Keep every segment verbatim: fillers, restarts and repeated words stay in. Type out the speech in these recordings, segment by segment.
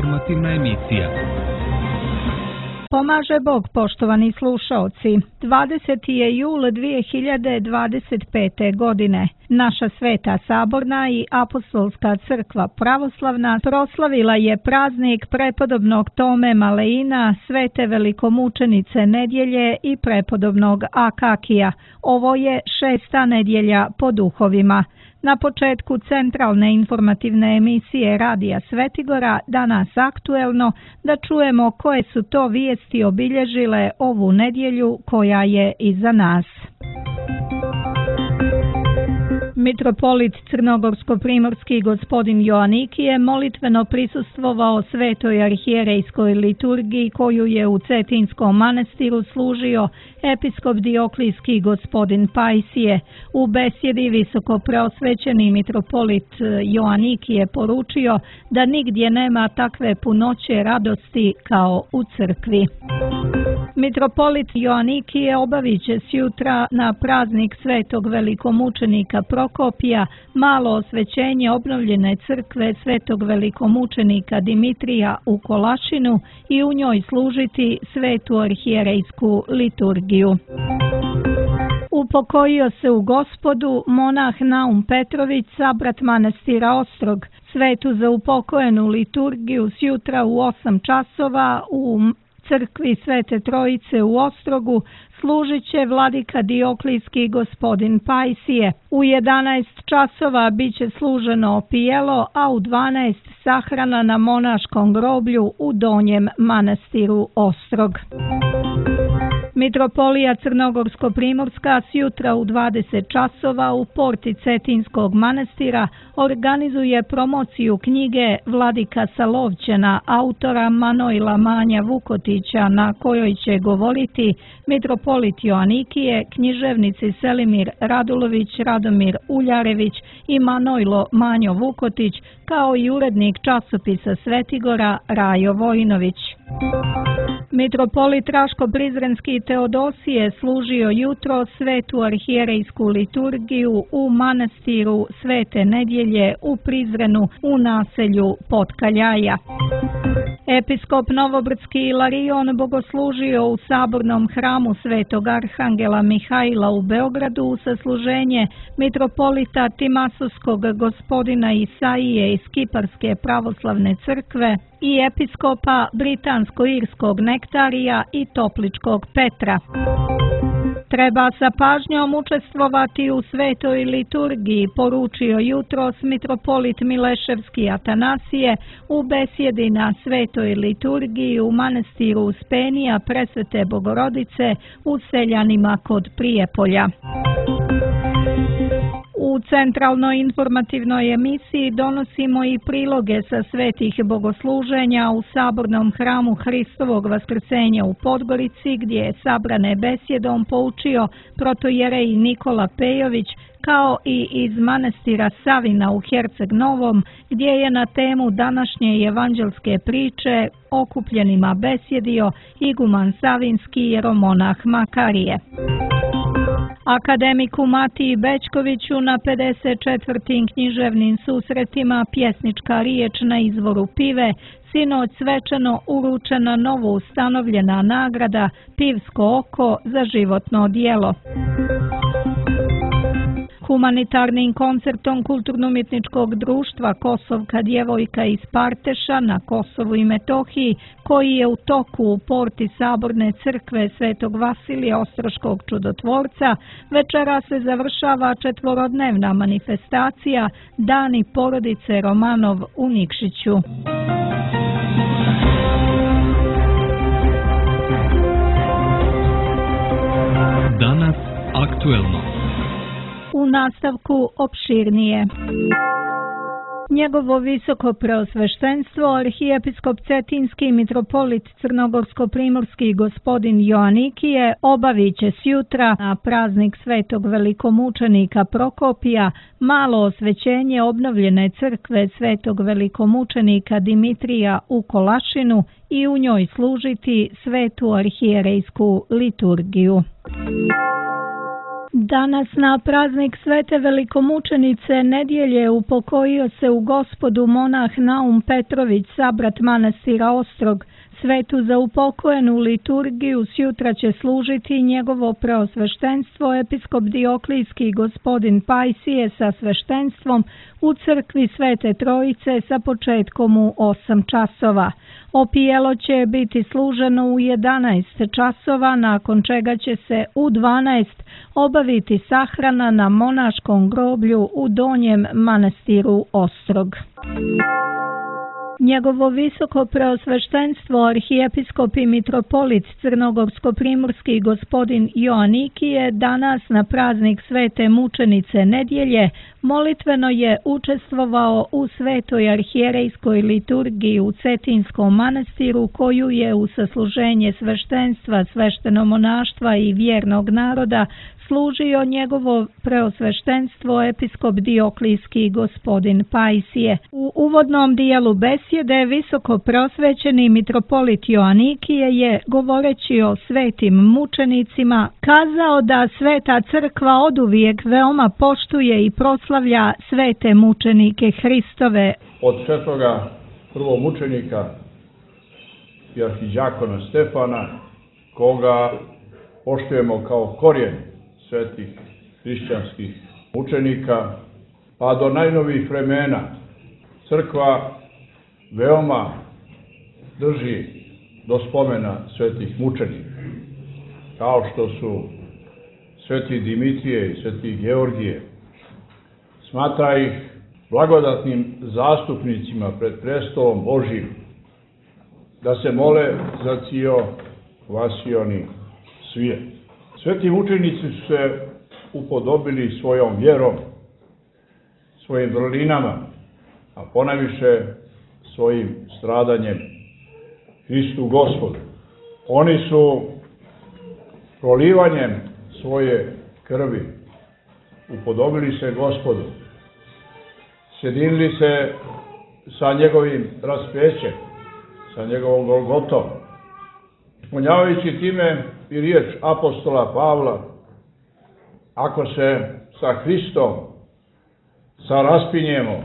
informativna emisija. Pomaže Bog, poštovani slušaoci. dvadeseti je jul dvije hiljade dvadeset pete. godine. Naša Sveta Saborna i Apostolska crkva pravoslavna proslavila je praznik prepodobnog Tome Maleina, Svete velikomučenice nedjelje i prepodobnog Akakija. Ovo je šesta nedjelja po duhovima. Na početku centralne informativne emisije Radija Svetigora, danas aktuelno, da čujemo koje su to vijesti obilježile ovu nedjelju koja je iza nas. Mitropolit crnogorsko-primorski gospodin Joanikije molitveno prisustvovao svetoj arhijerejskoj liturgiji koju je u Cetinskom manastiru služio episkop Dioklijski gospodin Pajsije. U besjedi visoko preosvećeni mitropolit Joanikije poručio da nigdje nema takve punoće radosti kao u crkvi. Mitropolit Joanikije obavit će sjutra na praznik svetog velikomučenika Prokopija malo osvećenje obnovljene crkve svetog velikomučenika Dimitrija u Kolašinu i u njoj služiti svetu arhijerejsku liturgiju. Upokojio se u Gospodu monah Naum Petrović, sabrat manastira Ostrog. Svetu za upokojenu liturgiju sjutra u osam časova u crkvi Svete Trojice u Ostrogu služit će vladika Dioklijski gospodin Pajsije. U jedanaest časova bit će služeno opijelo, a u dvanaest sahrana na monaškom groblju u Donjem manastiru Ostrog. Mitropolija Crnogorsko-primorska sjutra u dvadeset časova u porti Cetinskog manastira organizuje promociju knjige Vladika Salovćena autora Manojla Manja Vukotića, na kojoj će govoriti mitropolit Joanikije, književnici Selimir Radulović, Radomir Uljarević i Manojlo Manjo Vukotić, kao i urednik časopisa Svetigora Rajo Vojinović. Mitropolit Raško-Prizrenski Teodosije služio jutro svetu arhijerejsku liturgiju u manastiru Svete nedjelje u Prizrenu u naselju Potkaljaja. Episkop Novobrdski Ilarion bogoslužio u sabornom hramu Svetog Arhangela Mihajla u Beogradu sa služenje mitropolita Timasovskog gospodina Isaije iz Kiparske pravoslavne crkve i episkopa Britansko-irskog Nektarija i Topličkog Petra. Treba sa pažnjom učestvovati u svetoj liturgiji, poručio jutros mitropolit Mileševski Atanasije u besjedi na svetoj liturgiji u manastiru Uspenija Presvete Bogorodice u Seljanima kod Prijepolja. U centralnoj informativnoj emisiji donosimo i priloge sa svetih bogosluženja u sabornom hramu Hristovog vaskrsenja u Podgorici, gdje je sabrane besjedom poučio protojerej Nikola Pejović, kao i iz manastira Savina u Herceg Novom, gdje je na temu današnje evanđelske priče okupljenima besjedio iguman Savinski jeromonah Makarije. Akademiku Matiji Bećkoviću na pedeset četvrtim književnim susretima Pjesnička riječ na izvoru pive sinoć svečano uručena novo ustanovljena nagrada Pivsko oko za životno djelo. Humanitarnim koncertom Kulturno-umjetničkog društva Kosovka djevojka iz Parteša na Kosovu i Metohiji, koji je u toku u porti Saborne crkve Svetog Vasilija Ostroškog čudotvorca, večera se završava četvorodnevna manifestacija Dani porodice Romanov u Nikšiću. Danas aktuelno. U nastavku opširnije. Njegovo visoko preosveštenstvo, arhijepiskop Cetinski mitropolit Crnogorsko-primorski gospodin Joanikije obavit će sjutra na praznik svetog velikomučenika Prokopija malo osvećenje obnovljene crkve svetog velikomučenika Dimitrija u Kolašinu i u njoj služiti svetu arhijerejsku liturgiju. Danas na praznik Svete velikomučenice nedjelje upokojio se u Gospodu monah Naum Petrović, sabrat manastira Ostrog. Svetu za upokojenu liturgiju sjutra će služiti njegovo preosveštenstvo episkop Dioklijski gospodin Pajsije sa sveštenstvom u crkvi Svete Trojice sa početkom u osam časova. Opijelo će biti služeno u jedanaest časova, nakon čega će se u dvanaest obaviti sahrana na monaškom groblju u Donjem manastiru Ostrog. Njegovo visoko preosveštenstvo arhijepiskop i mitropolit crnogorsko-primorski gospodin Joanikije danas na praznik Svete mučenice nedjelje molitveno je učestvovao u svetoj arhijerejskoj liturgiji u Cetinskom manastiru, koju je u sasluženje sveštenstva, sveštenomonaštva i vjernog naroda služio njegovo preosveštenstvo episkop Dioklijski gospodin Pajsije. U uvodnom dijelu besjede visoko preosvećeni mitropolit Joanikije je, govoreći o svetim mučenicima, kazao da Sveta crkva oduvijek veoma poštuje i proslavlja svete mučenike Hristove. Od svetoga prvomučenika i arhidjakona Stefana, koga poštujemo kao korijen svetih hrišćanskih mučenika, pa do najnovijih vremena crkva veoma drži do spomena svetih mučenika, kao što su sveti Dimitrije i sveti Georgije. Smatra ih blagodatnim zastupnicima pred prestolom Božjim, da se mole za cio vasioni svijet. Sveti mučenici su se upodobili svojom vjerom, svojim vrlinama, a ponajviše svojim stradanjem Hristu Gospodu. Oni su prolivanjem svoje krvi upodobili se Gospodu, sjedinili se sa njegovim raspećem, sa njegovom Golgotom, ispunjavajući time i riječ apostola Pavla: ako se sa Hristom saraspinjemo,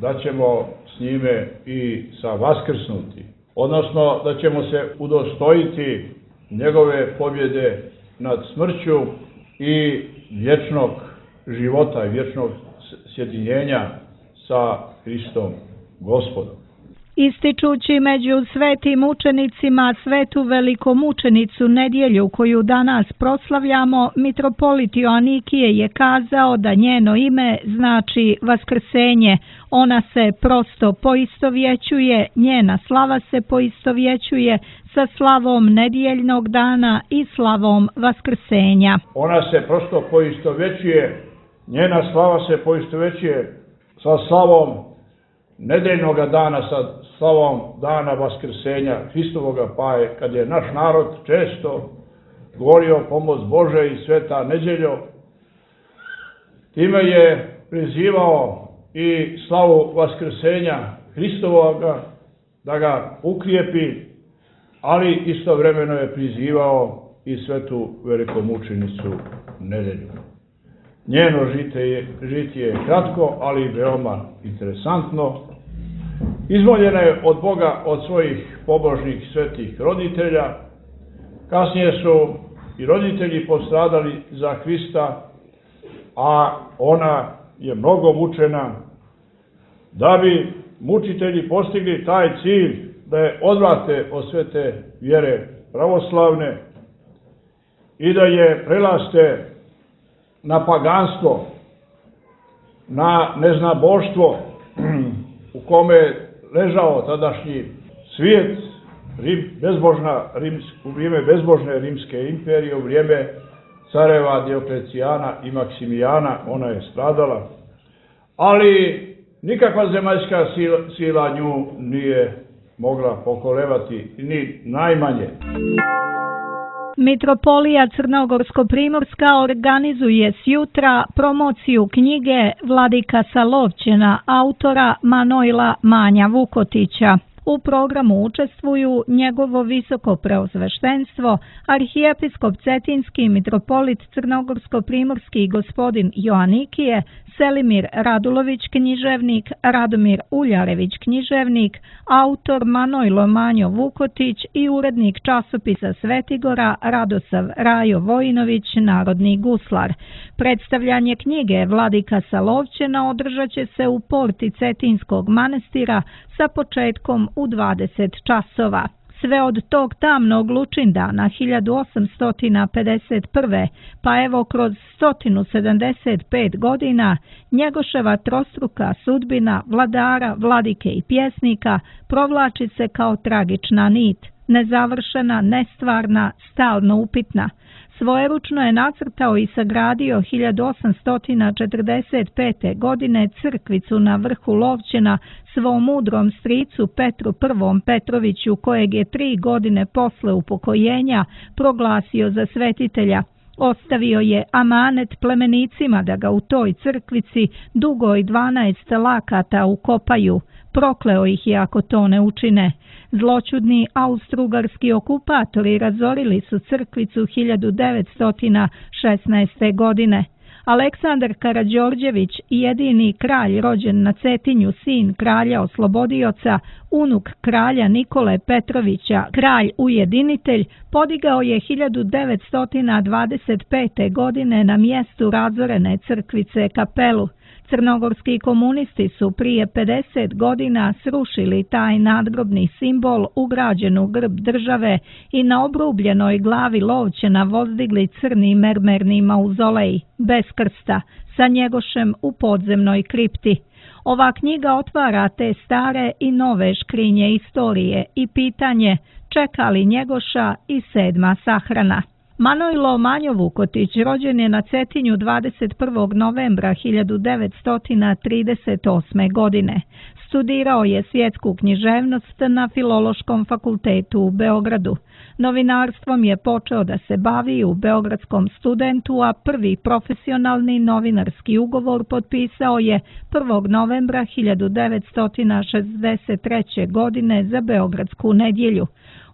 da ćemo s njime i sa vaskrsnuti, odnosno da ćemo se udostojiti njegove pobjede nad smrću i vječnog života i vječnog sjedinjenja sa Hristom Gospodom. Ističući među svetim mučenicima svetu velikomučenicu nedjelju koju danas proslavljamo, mitropolit Joanikije je kazao da njeno ime znači vaskrsenje. Ona se prosto poistovjećuje, njena slava se poistovjećuje sa slavom nedjeljnog dana i slavom vaskrsenja. Ona se prosto poistovjećuje, njena slava se poistovjećuje sa slavom nedeljnog dana, sa slavom dana vaskrsenja Hristovoga, pa je, kad je naš narod često govorio pomoć Bože i sveta nedjeljo, time je prizivao i slavu vaskrsenja Hristovoga, da ga ukrijepi, ali istovremeno je prizivao i svetu velikomučenicu nedjelju. Njeno žitije je kratko, ali veoma interesantno. Izmoljena je od Boga, od svojih pobožnih svetih roditelja. Kasnije su i roditelji postradali za Hrista, a ona je mnogo mučena, da bi mučitelji postigli taj cilj da je odvrate od svete vjere pravoslavne i da je prelaste na paganstvo, na neznaboštvo u kome ležao tadašnji svijet, Rim, bezbožna, rims, u vrijeme bezbožne rimske imperije, u vrijeme careva Dioklecijana i Maksimijana, ona je stradala, ali nikakva zemaljska sila, sila nju nije mogla pokolevati, ni najmanje. Mitropolija Crnogorsko-primorska organizuje sjutra promociju knjige Vladika Salovćena autora Manojla Manja Vukotića. U programu učestvuju njegovo visoko preosveštenstvo, arhijepiskop Cetinski, mitropolit Crnogorsko-primorski gospodin Joanikije, Selimir Radulović književnik, Radomir Uljarević književnik, autor Manojlo Manjo Vukotić i urednik časopisa Svetigora Radosav Rajo Vojinović, narodni guslar. Predstavljanje knjige Vladika sa Lovćena održat će se u porti Cetinskog manastira sa početkom u dvadeset časova. Sve od tog tamnog Lučindana hiljadu osamsto pedeset prve. pa evo kroz sto sedamdeset pet godina Njegoševa trostruka sudbina vladara, vladike i pjesnika provlači se kao tragična nit, nezavršena, nestvarna, stalno upitna. Svojeručno je nacrtao i sagradio hiljadu osamsto četrdeset pete. godine crkvicu na vrhu Lovćena svom mudrom stricu Petru I. Petroviću, kojeg je tri godine posle upokojenja proglasio za svetitelja. Ostavio je amanet plemenicima da ga u toj crkvici dugoj dvanaest lakata ukopaju. Prokleo ih je ako to ne učine. Zloćudni austrougarski okupatori razorili su crkvicu hiljadu devetsto šesnaeste. godine. Aleksandar Karađorđević, jedini kralj rođen na Cetinju, sin kralja oslobodioca, unuk kralja Nikole Petrovića, kralj ujedinitelj, podigao je hiljadu devetsto dvadeset pete. godine na mjestu razorene crkvice kapelu. Crnogorski komunisti su prije pedeset godina srušili taj nadgrobni simbol ugrađen u grb države i na obrubljenoj glavi Lovćena vozdigli crni mermerni mauzolej, bez krsta, sa Njegošem u podzemnoj kripti. Ova knjiga otvara te stare i nove škrinje istorije i pitanje čeka li Njegoša i sedma sahrana. Manojlo Manjo Vukotić rođen je na Cetinju dvadeset prvog novembra hiljadu devetsto trideset osme. godine. Studirao je svjetsku književnost na Filološkom fakultetu u Beogradu. Novinarstvom je počeo da se bavi u Beogradskom Studentu, a prvi profesionalni novinarski ugovor potpisao je prvog novembra hiljadu devetsto šezdeset treće. godine za Beogradsku nedjelju.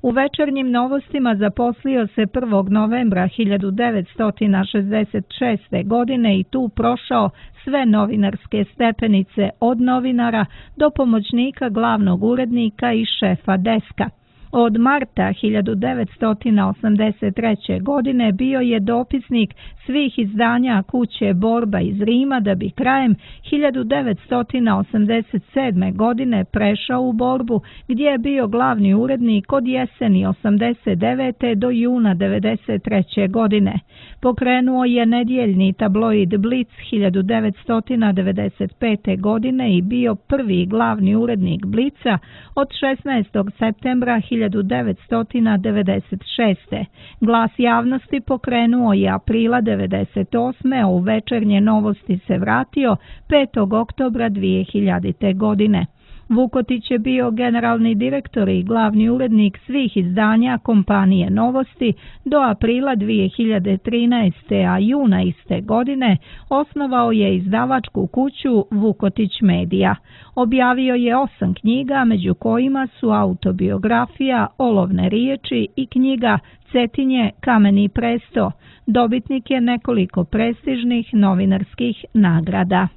U Večernjim novostima zaposlio se prvog novembra hiljadu devetsto šezdeset šeste. godine i tu prošao sve novinarske stepenice od novinara do pomoćnika glavnog urednika i šefa deska. Od marta hiljadu devetsto osamdeset treće. godine bio je dopisnik svih izdanja kuće Borba iz Rima, da bi krajem hiljadu devetsto osamdeset sedme. godine prešao u Borbu, gdje je bio glavni urednik od jeseni osamdeset devete. do juna devedeset treće. godine. Pokrenuo je nedjeljni tabloid Blic hiljadu devetsto devedeset pete. godine i bio prvi glavni urednik Blica od šesnaestog septembra hiljadu devetsto devedeset šeste. Glas javnosti pokrenuo je aprila devedeset osme. a u Večernje novosti se vratio petog oktobra dvije hiljadite. godine. Vukotić je bio generalni direktor i glavni urednik svih izdanja kompanije Novosti do aprila dvije hiljade trinaeste. a juna iste godine osnovao je izdavačku kuću Vukotić Medija. Objavio je osam knjiga, među kojima su autobiografija Olovne riječi i knjiga Cetinje, kameni presto. Dobitnik je nekoliko prestižnih novinarskih nagrada.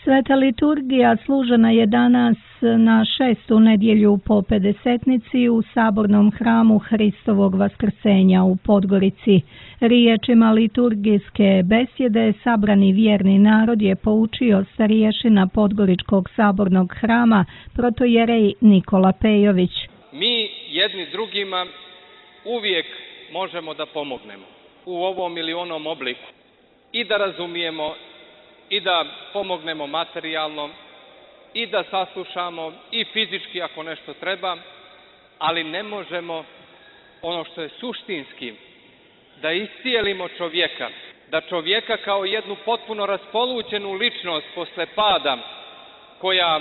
Sveta liturgija služena je danas na šestu nedjelju po pedesetnici u sabornom hramu Hristovog vaskrsenja u Podgorici. Riječima liturgijske besjede sabrani vjerni narod je poučio starješina Podgoričkog sabornog hrama protojerej Nikola Pejović. Mi jedni drugima uvijek možemo da pomognemo u ovom ili onom obliku i da razumijemo i da pomognemo materijalno i da saslušamo i fizički ako nešto treba, ali ne možemo ono što je suštinski, da iscijelimo čovjeka, da čovjeka kao jednu potpuno raspolućenu ličnost posle pada, koja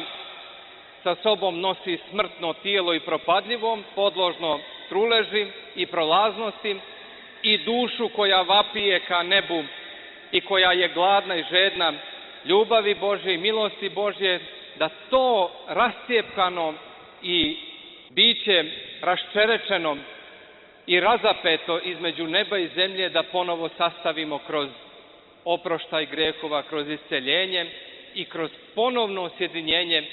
sa sobom nosi smrtno tijelo i propadljivo, podložno truleži i prolaznosti, i dušu koja vapije ka nebu i koja je gladna i žedna ljubavi Božje i milosti Božje, da to rascijepkano i biće raščerečeno i razapeto između neba i zemlje da ponovo sastavimo kroz oproštaj grehova, kroz isceljenje i kroz ponovno sjedinjenje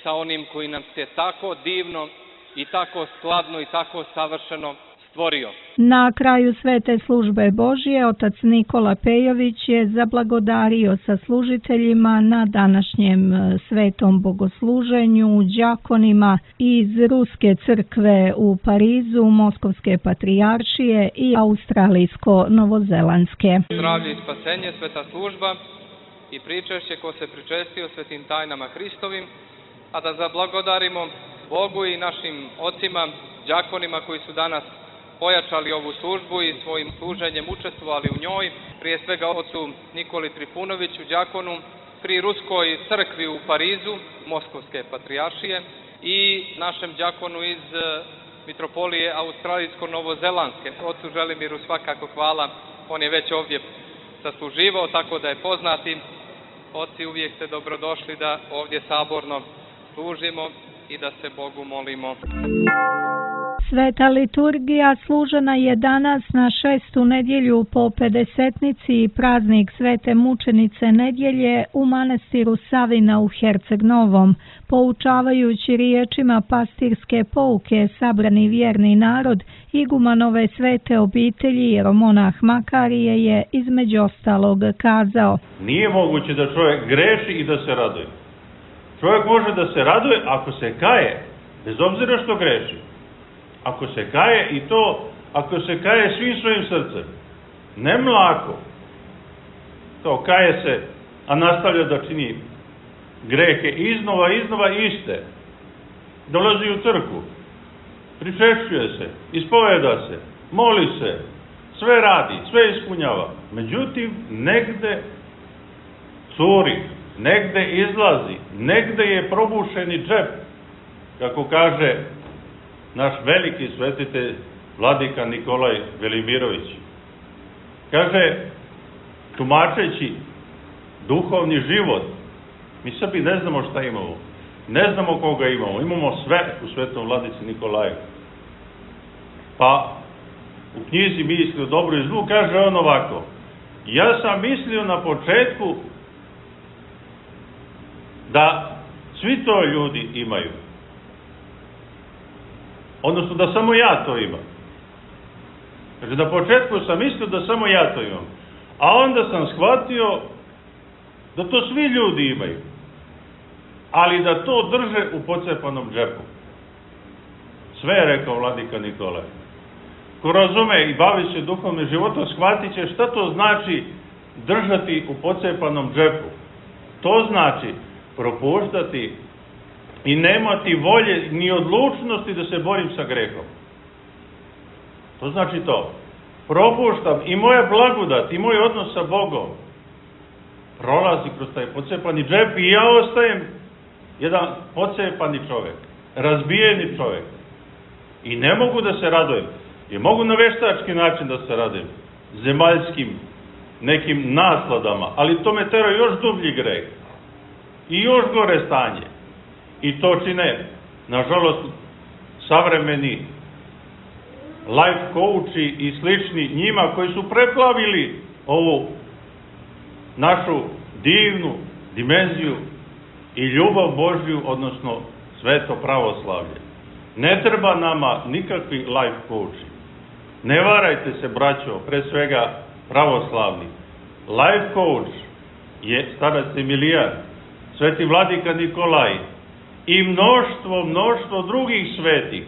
sa onim koji nam se tako divno i tako skladno i tako savršeno stvorio. Na kraju svete službe Božje otac Nikola Pejović je zablagodario sa služiteljima na današnjem svetom bogosluženju, đakonima iz Ruske crkve u Parizu, Moskovske patrijaršije i Australijsko-Novozelandske. Zdravlje i spasenje, sveta služba i pričešće ko se pričestio svetim tajnama Hristovim, a da zablagodarimo Bogu i našim ocima, đakonima koji su danas pojačali ovu službu i svojim služenjem učestvovali u njoj, prije svega ocu Nikoli Trifunoviću, đakonu pri Ruskoj crkvi u Parizu, Moskovske patrijaršije, i našem đakonu iz mitropolije Australijsko-Novozelandske. Ocu Želimiru svakako hvala, on je već ovdje sasluživao, tako da je poznati. Oci, uvijek ste dobrodošli da ovdje saborno služimo i da se Bogu molimo. Sveta liturgija služena je danas na šestu nedjelju po pedesetnici i praznik Svete mučenice nedjelje u manastiru Savina u Herceg Novom. Poučavajući riječima pastirske pouke sabrani vjerni narod, igumanove svete obitelji jeromonah Makarije je između ostalog kazao: nije moguće da čovjek greši i da se raduje. Čovjek može da se raduje ako se kaje, bez obzira što greši. Ako se kaje, i to ako se kaje svim svojim srcem, ne mlako, to kaje se, a nastavlja da čini grehe iznova, iznova iste, dolazi u crkvu, pričešćuje se, ispoveda se, moli se, sve radi, sve ispunjava. Međutim, negde curi, negde izlazi, negde je probušeni džep, kako kaže naš veliki svetitelj vladika Nikolaj Velimirović. Kaže, tumačeći duhovni život, mi sebi ne znamo šta imamo, ne znamo koga imamo, imamo sve u svetom vladici Nikolaju. Pa u knjizi Misli o dobru i zlu kaže on ovako: ja sam mislio na početku da svi to ljudi imaju, odnosno da samo ja to imam. Kaže, na početku sam mislio da samo ja to imam, a onda sam shvatio da to svi ljudi imaju, ali da to drže u pocepanom džepu. Sve je rekao vladika Nikolaj. Ko razume i bavi se duhovnim životom, shvatit će šta to znači držati u pocepanom džepu. To znači propuštati i nemati volje ni odlučnosti da se borim sa grehom. To znači to. Propuštam i moja blagodat i moj odnos sa Bogom prolazi kroz taj pocepani džep i ja ostajem jedan pocepani čovjek, razbijeni čovjek. I ne mogu da se radujem. I mogu na veštački način da se radujem, zemaljskim nekim nasladama, ali to me tera još dublji greh i još gore stanje. I to čine, nažalost, savremeni life coachi i slični njima koji su preplavili ovu našu divnu dimenziju i ljubav Božju, odnosno sveto pravoslavlje. Ne treba nama nikakvi life coachi. Ne varajte se, braćo, pre svega pravoslavni. Life coach je starac Emilijan, sveti vladika Nikolaj i mnoštvo, mnoštvo drugih svetih.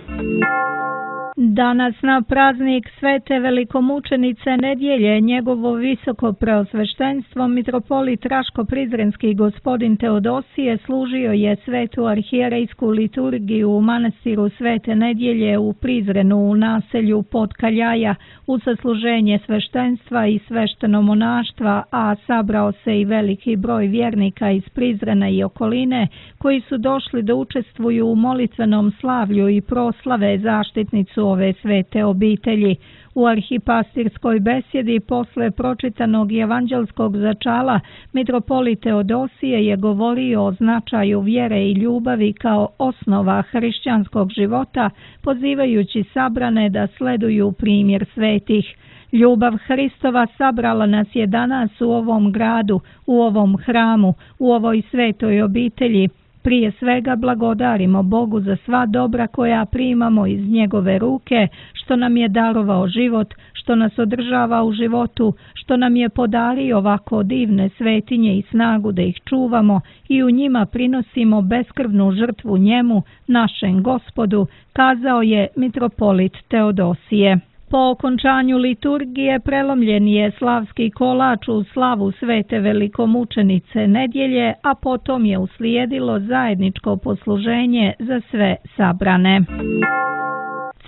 Danas na praznik Svete velikomučenice nedjelje njegovo visoko preosveštenstvo mitropolit Raško-Prizrenski gospodin Teodosije služio je svetu arhijerejsku liturgiju u manastiru Svete nedjelje u Prizrenu u naselju Potkaljaja u sasluženje sveštenstva i svešteno monaštva, a sabrao se i veliki broj vjernika iz Prizrena i okoline koji su došli da učestvuju u molitvenom slavlju i proslave zaštitnicu ove svete obitelji. U arhipastirskoj besjedi posle pročitanog evanđelskog začala mitropolit Teodosije je govorio o značaju vjere i ljubavi kao osnova hrišćanskog života, pozivajući sabrane da sleduju primjer svetih. Ljubav Hristova sabrala nas je danas u ovom gradu, u ovom hramu, u ovoj svetoj obitelji. Prije svega blagodarimo Bogu za sva dobra koja primamo iz njegove ruke, što nam je darovao život, što nas održava u životu, što nam je podario ovako divne svetinje i snagu da ih čuvamo i u njima prinosimo beskrvnu žrtvu njemu, našem Gospodu, kazao je mitropolit Teodosije. Po okončanju liturgije prelomljen je slavski kolač u slavu svete velikomučenice nedjelje, a potom je uslijedilo zajedničko posluženje za sve sabrane.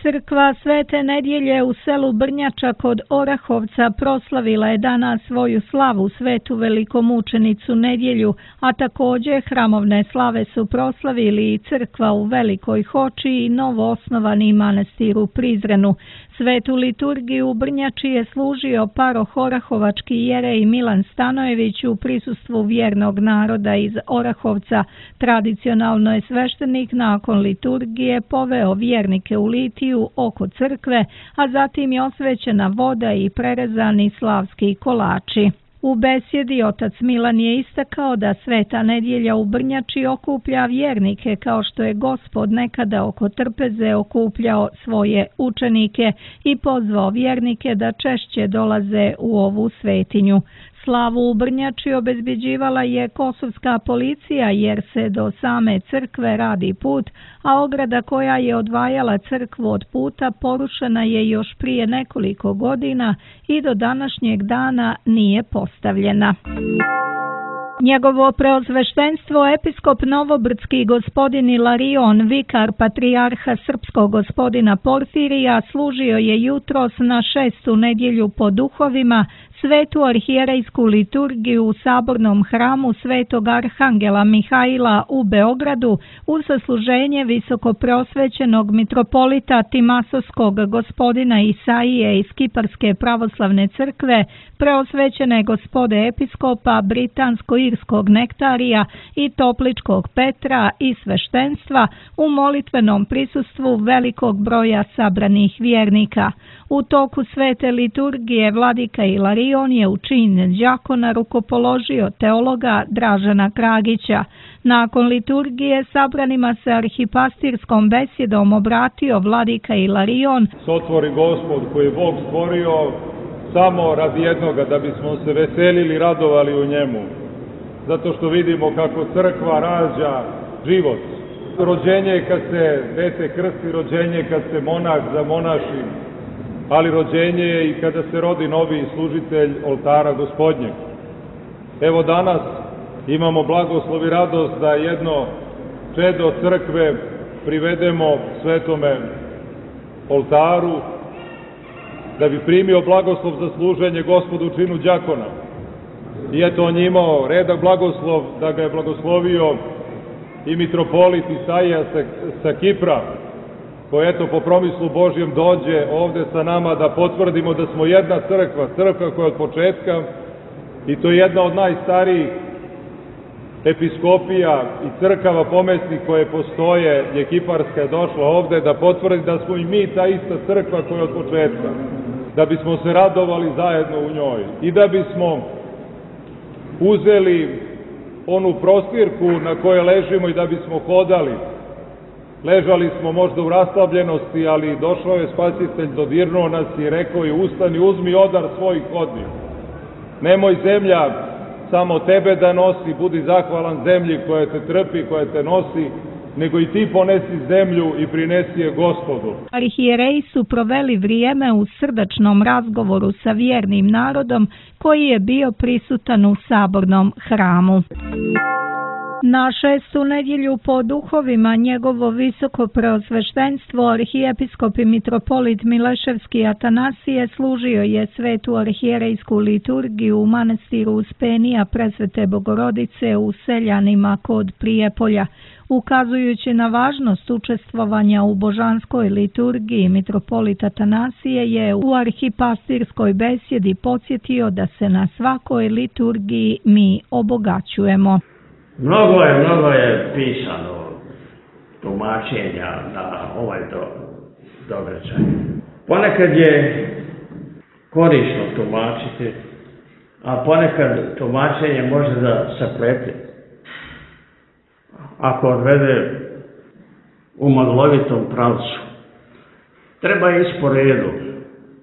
Crkva Svete nedjelje u selu Brnjača kod Orahovca proslavila je danas svoju slavu svetu velikomučenicu nedjelju, a također hramovne slave su proslavili i crkva u Velikoj Hoči i novo osnovani manastir u Prizrenu. Svetu liturgiju u Brnjači je služio paroh orahovački jerej Milan Stanojević u prisustvu vjernog naroda iz Orahovca. Tradicionalno je sveštenik nakon liturgije poveo vjernike u litiju oko crkve, a zatim je osvećena voda i prerezani slavski kolači. U besjedi otac Milan je istakao da sveta nedjelja u Brnjači okuplja vjernike kao što je Gospod nekada oko trpeze okupljao svoje učenike i pozvao vjernike da češće dolaze u ovu svetinju. Slavu u Brnjači obezbeđivala je kosovska policija jer se do same crkve radi put, a ograda koja je odvajala crkvu od puta porušena je još prije nekoliko godina i do današnjeg dana nije postavljena. Njegovo preosveštenstvo episkop Novobrdski gospodin Ilarion, vikar patrijarha srpskog gospodina Porfirija, služio je jutros na šestu nedjelju po duhovima svetu arhijerejsku liturgiju u sabornom hramu Svetog Arhangela Mihaila u Beogradu u sasluženje visokopreosvećenog mitropolita Timasovskog gospodina Isaije iz Kiparske pravoslavne crkve, preosvećene gospode episkopa Britansko-irskog Nektarija i Topličkog Petra i sveštenstva u molitvenom prisustvu velikog broja sabranih vjernika. U toku svete liturgije vladika Ilarion je u čin đakona rukopoložio teologa Dražena Kragića. Nakon liturgije sabranima se arhipastirskom besjedom obratio vladika Ilarion. Sotvori Gospod koji je Bog stvorio samo radi jednoga, da bismo se veselili i radovali u njemu. Zato što vidimo kako crkva rađa život. Rođenje je kad se dete krsti, rođenje je kad se monah zamonaši, ali rođenje je i kada se rodi novi služitelj oltara Gospodnjeg. Evo danas imamo blagoslov i radost da jedno čedo crkve privedemo svetome oltaru, da bi primio blagoslov za služenje Gospodu u činu đakona. I eto on je imao redak blagoslov da ga je blagoslovio i mitropolit Isaija sa, sa Kipra, koji eto po promislu Božjem dođe ovde sa nama da potvrdimo da smo jedna crkva, crkva koja od početka, i to je jedna od najstarijih episkopija i crkava pomesnih koje postoje, je Kiparska je došla ovde da potvrdi da smo i mi ta ista crkva koja od početka, da bismo se radovali zajedno u njoj i da bismo uzeli onu prostirku na kojoj ležimo i da bismo hodali. Ležali smo možda u raslabljenosti, ali došao je Spasitelj, dodirnuo nas i rekao je: ustani, uzmi odar svoj, hodi. Nemoj zemlja samo tebe da nosi, budi zahvalan zemlji koja te trpi, koja te nosi, nego i ti ponesi zemlju i prinesi je Gospodu. Arhijereji su proveli vrijeme u srdačnom razgovoru sa vjernim narodom koji je bio prisutan u sabornom hramu. Na šestu nedjelju po duhovima njegovo visoko preosveštenstvo arhijepiskop i mitropolit Mileševski Atanasije služio je svetu arhijerejsku liturgiju u manastiru Uspenija Presvete Bogorodice u Seljanima kod Prijepolja. Ukazujući na važnost učestvovanja u božanskoj liturgiji, mitropolit Atanasije je u arhipastirskoj besjedi podsjetio da se na svakoj liturgiji mi obogaćujemo. Mnogo je, mnogo je pisano tumačenja na ovaj do, događaj. Ponekad je korisno tumačiti, a ponekad tumačenje može da se plepi. Ako odvede u maglovitom pravcu, treba ići po redu.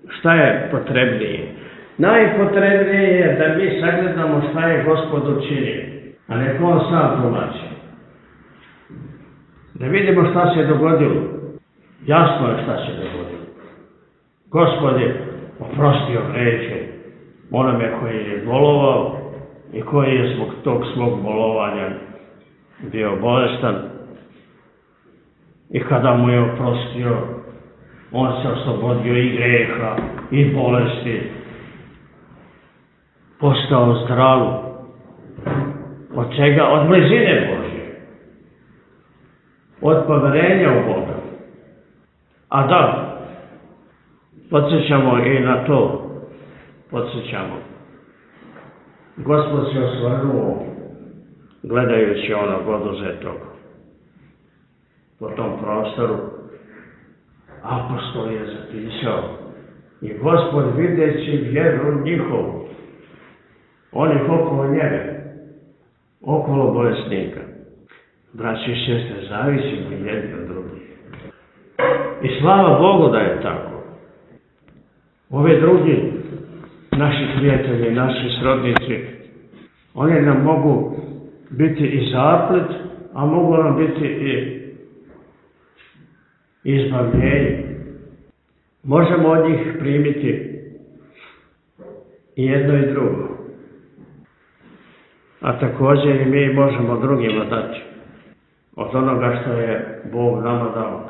Šta je potrebnije? Najpotrebnije je da mi sagledamo šta je Gospod učinio, a nek on sam tumači. Da vidimo šta se dogodilo. Jasno je šta se dogodilo. Gospod je oprostio grehe onome koji je bolovao i koji je zbog tog svog bolovanja bio bolestan. I kada mu je oprostio, on se oslobodio i greha i bolesti. Postao zdrav. Od čega? Od blizine Božje. Od poverenja u Boga. A da, podsjećamo i na to. Podsjećamo. Gospod se osvrnuo gledajući onog oduzetog po tom prostoru. Apostol je zapisao i Gospod videći vjeru njihovu, onih okolo njega, okolo bolesnika. Braći i sestre, zavisimo jedni od drugih. I slava Bogu da je tako. Ove drugi, naši prijatelji, naši srodnici, oni nam mogu biti i zaplet, a mogu nam biti i izbavljenje. Možemo od njih primiti i jedno i drugo. A također i mi možemo drugima dati od onoga što je Bog nama dao.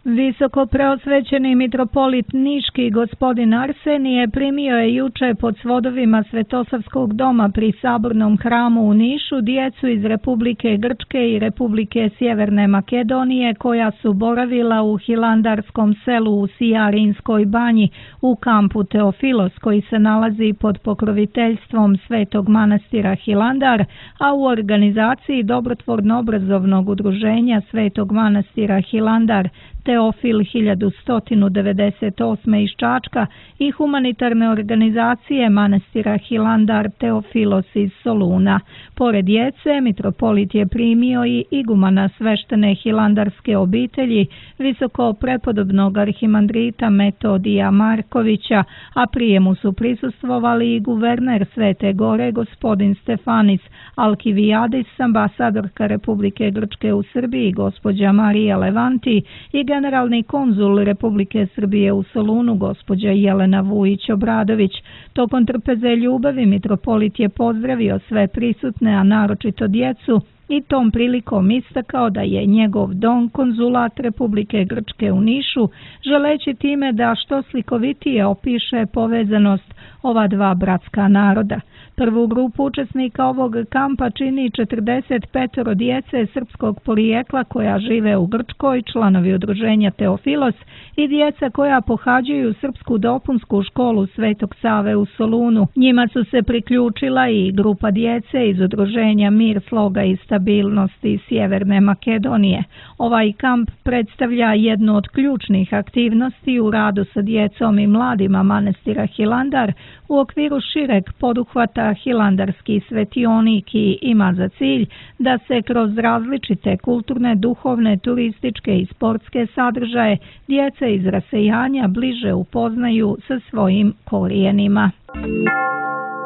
Visoko preosvećeni mitropolit Niški gospodin Arsenije primio je juče pod svodovima Svetosavskog doma pri Sabornom hramu u Nišu djecu iz Republike Grčke i Republike Sjeverne Makedonije koja su boravila u hilandarskom selu u Sijarinskoj banji u kampu Teofilos koji se nalazi pod pokroviteljstvom Svetog manastira Hilandar, a u organizaciji Dobrotvorno-obrazovnog udruženja Svetog manastira Hilandar Teofil hiljadu sto devedeset osme iz Čačka i humanitarne organizacije manastira Hilandar Teofilos iz Soluna. Pored djece, mitropolit je primio i igumana sveštene hilandarske obitelji, visoko prepodobnog arhimandrita Metodija Markovića, a prijemu su prisustvovali i guverner Svete Gore, gospodin Stefanis Alkivijadis, ambasadorka Republike Grčke u Srbiji, gospođa Marija Levanti i generalni konzul Republike Srbije u Solunu, gospođa Jelena Vujić-Obradović. Tokom trpeze ljubavi mitropolit je pozdravio sve prisutne, a naročito djecu, i tom prilikom istakao da je njegov dom konzulat Republike Grčke u Nišu, želeći time da što slikovitije opiše povezanost ova dva bratska naroda. Prvu grupu učesnika ovog kampa čini četrdeset pet djece srpskog porijekla koja žive u Grčkoj, članovi udruženja Teofilos i djeca koja pohađaju srpsku dopunsku školu Svetog Save u Solunu. Njima su se priključila i grupa djece iz udruženja Mir, sloga i stabilnosti Sjeverne Makedonije. Ovaj kamp predstavlja jednu od ključnih aktivnosti u radu sa djecom i mladima manastira Hilandar u okviru šireg poduhvata Hilandarski svetionik i ima za cilj da se kroz različite kulturne, duhovne, turističke i sportske sadržaje djeca iz rasejanja bliže upoznaju sa svojim korijenima.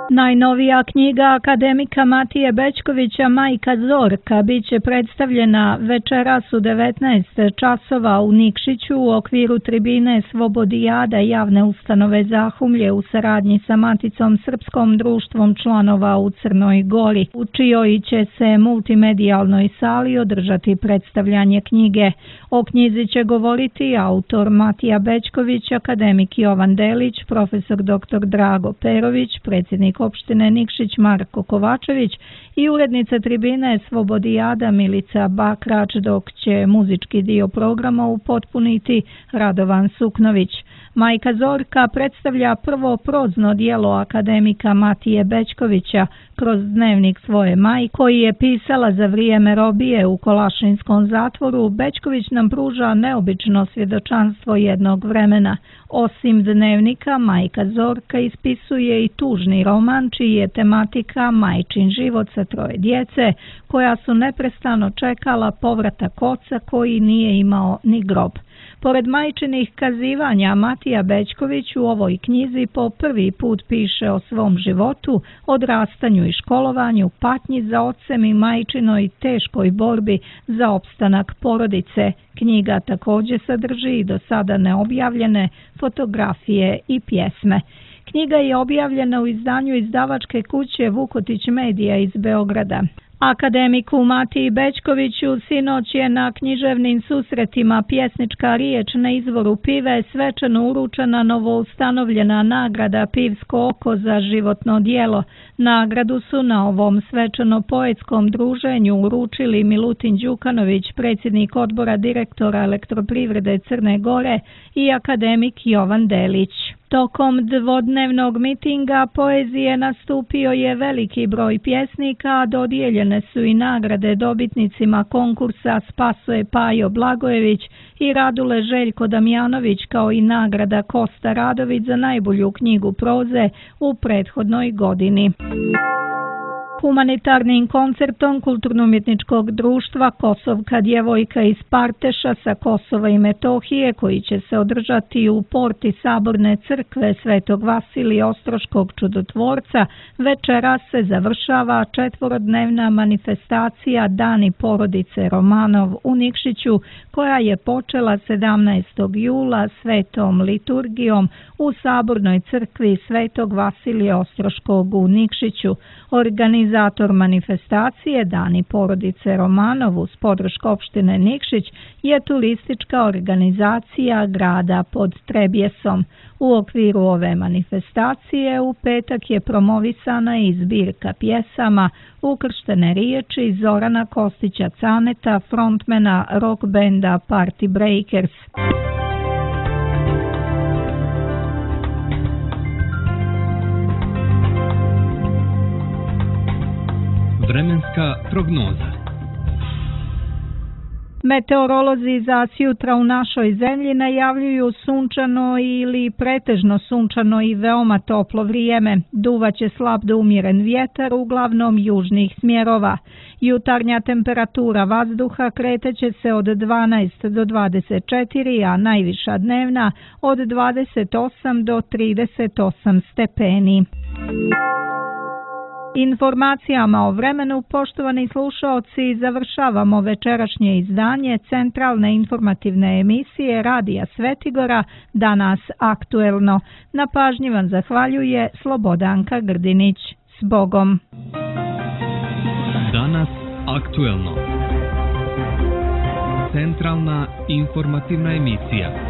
Najnovija knjiga akademika Matije Bećkovića Majka Zorka bit će predstavljena večeras u devetnaest časova u Nikšiću u okviru tribine Slobodijada javne ustanove Zahumlje u saradnji sa Maticom Srpskom društvom članova u Crnoj Gori, u čijoj će se multimedijalnoj sali održati predstavljanje knjige. O knjizi će govoriti autor Matija Bećković, akademik Jovan Delić, profesor doktor Drago Perović, predsjednik opštine Nikšić Marko Kovačević i urednica tribine Slobodijada Milica Bakrač, dok će muzički dio programa upotpuniti Radovan Suknović. Majka Zorka predstavlja prvo prozno dijelo akademika Matije Bećkovića kroz dnevnik svoje majke koji je pisala za vrijeme robije u Kolašinskom zatvoru. Bećković nam pruža neobično svjedočanstvo jednog vremena. Osim dnevnika, Majka Zorka ispisuje i tužni roman čiji je tematika majčin život sa troje djece koja su neprestano čekala povratak oca koji nije imao ni grob. Pored majčinih kazivanja, Matija Bećković u ovoj knjizi po prvi put piše o svom životu, odrastanju i školovanju, patnji za ocem i majčinoj teškoj borbi za opstanak porodice. Knjiga također sadrži i do sada neobjavljene fotografije i pjesme. Knjiga je objavljena u izdanju izdavačke kuće Vukotić Medija iz Beograda. Akademiku Matiji Bećkoviću sinoć je na književnim susretima Pjesnička riječ na izvoru pive svečano uručena novoustanovljena nagrada Pivsko oko za životno djelo. Nagradu su na ovom svečano-poetskom druženju uručili Milutin Đukanović, predsjednik odbora direktora Elektroprivrede Crne Gore, i akademik Jovan Delić. Tokom dvodnevnog mitinga poezije nastupio je veliki broj pjesnika, a dodijeljene su i nagrade dobitnicima konkursa Spasoje Pajo Blagojević i Radule Željko Damjanović, kao i nagrada Kosta Radović za najbolju knjigu proze u prethodnoj godini. Humanitarnim koncertom Kulturno-umjetničkog društva Kosovka djevojka iz Parteša sa Kosova i Metohije, koji će se održati u porti Saborne crkve Svetog Vasilija Ostroškog čudotvorca, večeras se završava četvorodnevna manifestacija Dani porodice Romanov u Nikšiću, koja je počela sedamnaestog jula svetom liturgijom u Sabornoj crkvi Svetog Vasilija Ostroškog u Nikšiću. Organizator manifestacije Dani porodice Romanov uz podršku opštine Nikšić je turistička organizacija grada pod Trebjesom. U okviru ove manifestacije u petak je promovisana i zbirka pjesama Ukrštene riječi Zorana Kostića Caneta, frontmena rock benda Party Breakers. Vremenska prognoza. Meteorolozi za sjutra u našoj zemlji najavljuju sunčano ili pretežno sunčano i veoma toplo vrijeme. Duvaće slab do umjeren vjetar, uglavnom južnih smjerova. Jutarnja temperatura vazduha kreteće se od dvanaest do dvadeset četiri, a najviša dnevna od dvadeset osam do trideset osam stepeni. Informacijama o vremenu, poštovani slušaoci, završavamo večerašnje izdanje centralne informativne emisije Radija Svetigora, Danas aktuelno. Na pažnji vam zahvaljuje Slobodanka Grdinić. S Bogom! Danas aktuelno. Centralna informativna emisija.